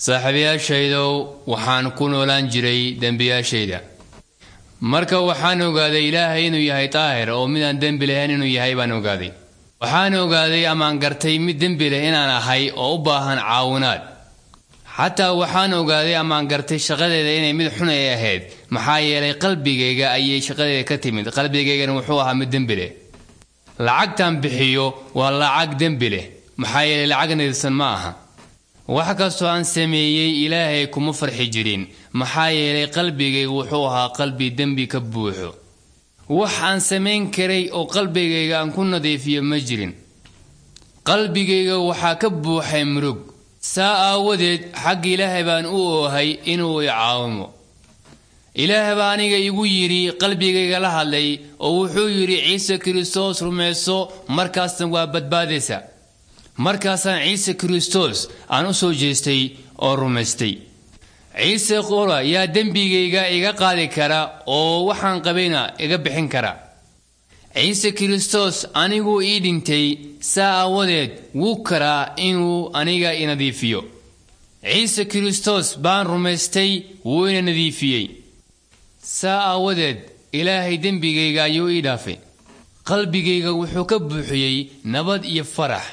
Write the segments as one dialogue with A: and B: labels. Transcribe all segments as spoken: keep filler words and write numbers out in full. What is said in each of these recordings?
A: Saaxiibayaashaydow, waxaan ku noolaan jiray dembiyaashayda. Marka waxaan ogaaday Ilaahay inuu yahay daahir oo midaan dembi lahayn inuu yahay baan ogaaday. Waxaan ogaaday amaan gartay mid dembi leh inaan ahay oo u baahan caawinaad. Xataa waxaan ogaaday amaan gartay shaqadeeda inay mid xun ay ahayd, maxaa yeelay qalbigayga ayay shaqadeeda ka timid, qalbigaygana wuxuu ahaa mid dembi leh. Lacagtaan bixiyo waa lacag dembi leh, maxaa yeelay lacag nadiifsan ma aha. Wax kastoo aan sameeyey Ilaahay kuma farxi jirin, maxaa yeelay qalbigayga wuxuu ahaa qalbi dembi ka buuxo. Wax aan samayn karay oo qalbigayga aan ku nadiifiyo ma jirin. Qalbigayga waxaa ka buuxay murug. Saa aawadeed xagga Ilaahay baan u oohay inuu i caawimo. Ilaah baa aniga igu yidhi, qalbigayga la hadlay oo wuxuu yidhi, Ciise Kiristoos rumayso, markaasna waa badbaadaysa. Markaasaan Ciise Kiristoos aan u soo jeestay oo rumaystay. Ciise qura yaa dembigayga iga qaadi kara oo waxaan qabayna iga bixin kara. Ciise Kiristoos aniguu ii dhintay, saa aawadeed wuu karaa inuu aniga i nadiifiyo. Ciise Kiristoos baan rumaystay, wuu ina nadiifiyey. Saa aawadeed Ilaahay dembigayga ayuu ii dhaafay. Qalbigayga wuxuu ka buuxiyey nabad iyo farax.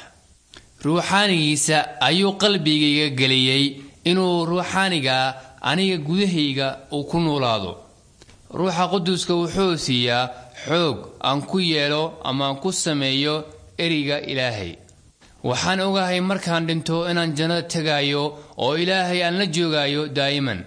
A: Ruuxaanigiisa ayuu qalbigayga geliyey inuu ruuxaaniga aniga gudahayga uu ku noolaado. Ruuxa Quduuska wuxuu siiyaa xoog aan ku yeelo ama aan ku sameeyo ereyga Ilaahay. Waxaan ogahay markaan dhinto inaan jannada tegayo oo Ilaahay aan la joogayo daa'iman.